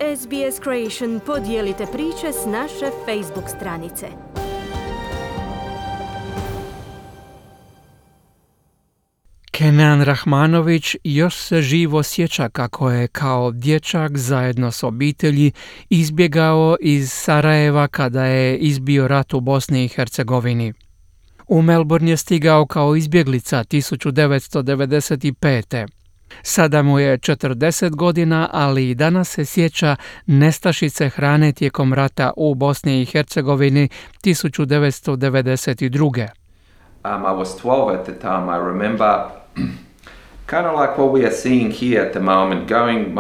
SBS Creation podijelite priče s naše Facebook stranice. Kenan Rahmanović još se živo sjeća kako je kao dječak zajedno s obitelji izbjegao iz Sarajeva kada je izbio rat u Bosni i Hercegovini. U Melbourne je stigao kao izbjeglica 1995. Sada mu je 40 godina, ali i danas se sjeća nestašice hrane tijekom rata u Bosni i Hercegovini 1992. I was 12 at the time. I remember kind of like what we are seeing here at the moment, going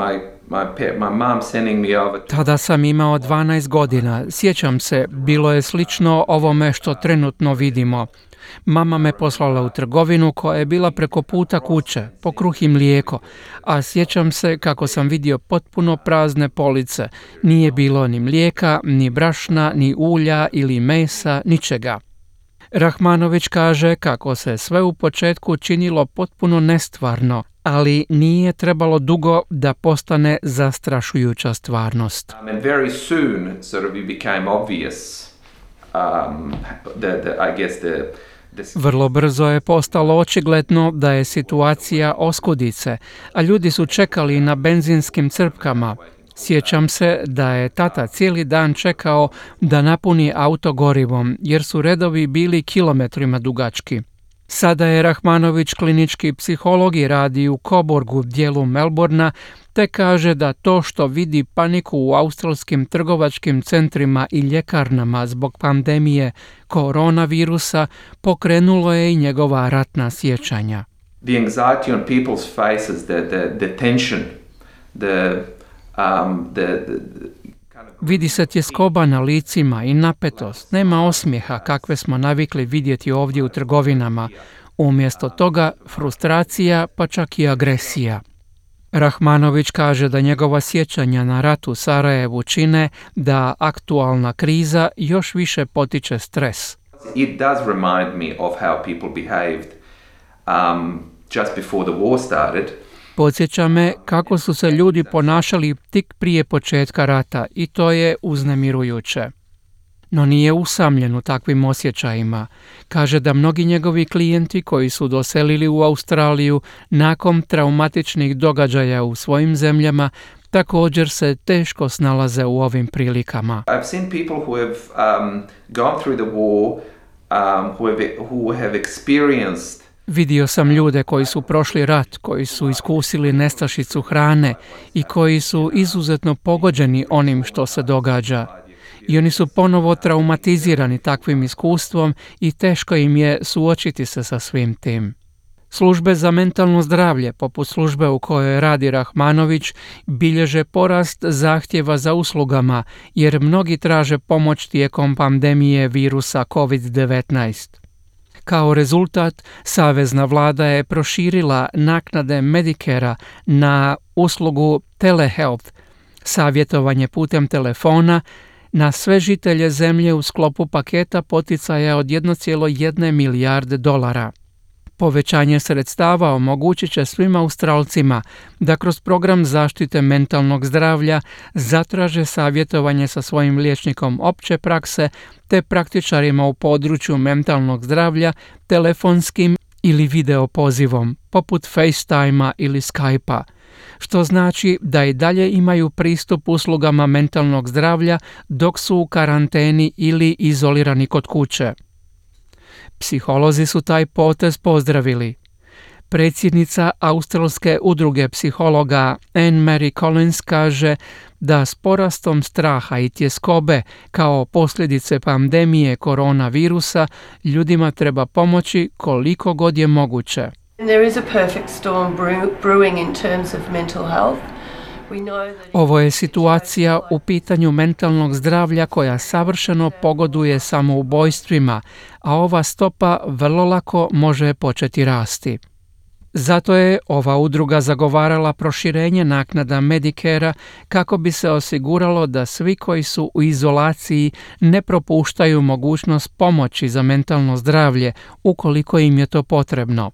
my mom sending me over to... Tada sam imao 12 godina. Sjećam se, bilo je slično ovome što trenutno vidimo. Mama me poslala u trgovinu koja je bila preko puta kuće, po kruh i mlijeko, a sjećam se kako sam vidio potpuno prazne police. Nije bilo ni mlijeka, ni brašna, ni ulja ili mesa, ničega. Rahmanović kaže kako se sve u početku činilo potpuno nestvarno, ali nije trebalo dugo da postane zastrašujuća stvarnost. And very soon sort of it became obvious Vrlo brzo je postalo očigledno da je situacija oskudice, a ljudi su čekali na benzinskim crpkama. Sjećam se da je tata cijeli dan čekao da napuni auto gorivom, jer su redovi bili kilometrima dugački. Sada je Rahmanović klinički psiholog i radi u Coburgu, dijelu Melbournea, te kaže da to što vidi paniku u australskim trgovačkim centrima i ljekarnama zbog pandemije koronavirusa pokrenulo je i njegova ratna sjećanja. The anxiety on people's faces, the tension, Vidi se tjeskoba na licima i napetost, nema osmijeha kakve smo navikli vidjeti ovdje u trgovinama. Umjesto toga frustracija pa čak i agresija. Rahmanović kaže da njegova sjećanja na rat u Sarajevu čine da aktualna kriza još više potiče stres. It does remind me of how people behaved just before the war started. Podsjeća me kako su se ljudi ponašali tik prije početka rata i to je uznemirujuće. No nije usamljen u takvim osjećajima. Kaže da mnogi njegovi klijenti koji su doselili u Australiju nakon traumatičnih događaja u svojim zemljama također se teško snalaze u ovim prilikama. I've seen people who have gone through the war, who have experienced. Vidio sam ljude koji su prošli rat, koji su iskusili nestašicu hrane i koji su izuzetno pogođeni onim što se događa. I oni su ponovo traumatizirani takvim iskustvom i teško im je suočiti se sa svim tim. Službe za mentalno zdravlje, poput službe u kojoj radi Rahmanović, bilježe porast zahtjeva za uslugama jer mnogi traže pomoć tijekom pandemije virusa COVID-19. Kao rezultat, savezna vlada je proširila naknade Medicare-a na uslugu telehealth, savjetovanje putem telefona, na sve žitelje zemlje u sklopu paketa poticaja od 1,1 milijarde dolara. Povećanje sredstava omogućit će svim Australcima da kroz program zaštite mentalnog zdravlja zatraže savjetovanje sa svojim liječnikom opće prakse te praktičarima u području mentalnog zdravlja telefonskim ili video pozivom, poput FaceTime-a ili Skype-a, što znači da i dalje imaju pristup uslugama mentalnog zdravlja dok su u karanteni ili izolirani kod kuće. Psiholozi su taj potez pozdravili. Predsjednica Australske udruge psihologa Anne-Marie Collins kaže da s porastom straha i tjeskobe kao posljedice pandemije koronavirusa ljudima treba pomoći koliko god je moguće. There is a perfect storm brewing in terms of mental health. Ovo je situacija u pitanju mentalnog zdravlja koja savršeno pogoduje samoubojstvima, a ova stopa vrlo lako može početi rasti. Zato je ova udruga zagovarala proširenje naknada Medicare-a kako bi se osiguralo da svi koji su u izolaciji ne propuštaju mogućnost pomoći za mentalno zdravlje ukoliko im je to potrebno.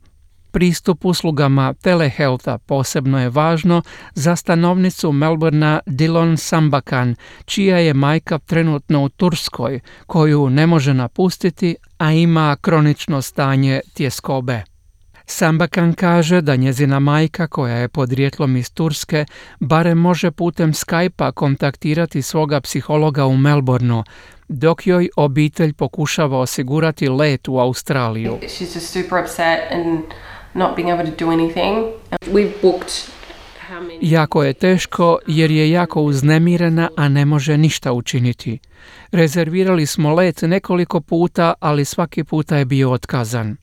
Pristup uslugama telehealtha posebno je važno za stanovnicu Melbournea Dillon Sambakan, čija je majka trenutno u Turskoj, koju ne može napustiti, a ima kronično stanje tjeskobe. Sambakan kaže da njezina majka, koja je podrijetlom iz Turske, barem može putem Skype-a kontaktirati svoga psihologa u Melbourneu, dok joj obitelj pokušava osigurati let u Australiju. She's just super upset and not being able to do anything. We've booked how many? Jako je teško jer je jako uznemirena, a ne može ništa učiniti. Rezervirali smo let nekoliko puta, ali svaki puta je bio otkazan.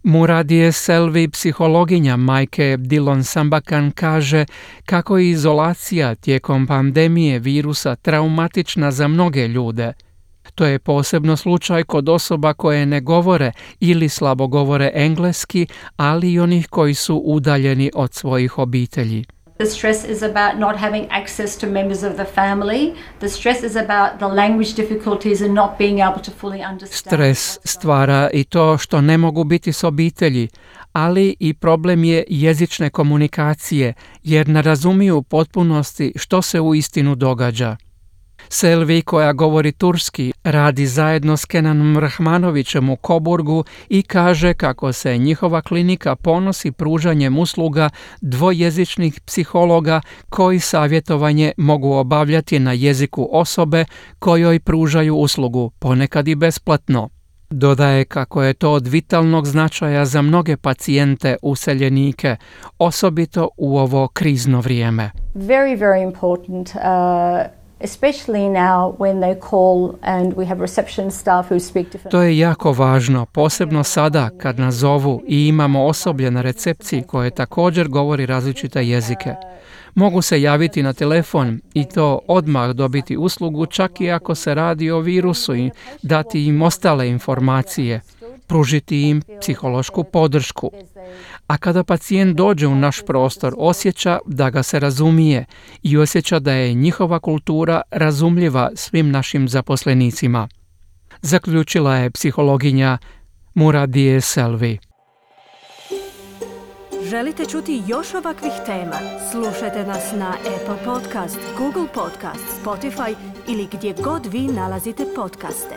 Muradije Selvi, psihologinja majke Dillon Sambakan, kaže kako je izolacija tijekom pandemije virusa traumatična za mnoge ljude. To je posebno slučaj kod osoba koje ne govore ili slabo govore engleski, ali i onih koji su udaljeni od svojih obitelji. The stress is about not having access to members of the family. The stress is about the language difficulties and not being able to fully understand. Stres stvara i to što ne mogu biti s obitelji, ali i problem je jezične komunikacije, jer ne razumiju u potpunosti što se uistinu događa. Selvi, koja govori turski, radi zajedno s Kenanom Rahmanovićem u Coburgu i kaže kako se njihova klinika ponosi pružanjem usluga dvojezičnih psihologa koji savjetovanje mogu obavljati na jeziku osobe kojoj pružaju uslugu, ponekad i besplatno. Dodaje kako je to od vitalnog značaja za mnoge pacijente useljenike, osobito u ovo krizno vrijeme. Very, very important, especially now when they call and we have reception staff who speak different. To je jako važno, posebno sada kad nas zovu i imamo osoblje na recepciji koje također govori različite jezike. Mogu se javiti na telefon i to odmah dobiti uslugu, čak i ako se radi o virusu, i dati im ostale informacije, pružiti im psihološku podršku. A kada pacijent dođe u naš prostor, osjeća da ga se razumije i osjeća da je njihova kultura razumljiva svim našim zaposlenicima. Zaključila je psihologinja Muradije Selvi. Želite čuti još ovakvih tema? Slušajte nas na Apple Podcast, Google Podcast, Spotify ili gdje god vi nalazite podcaste.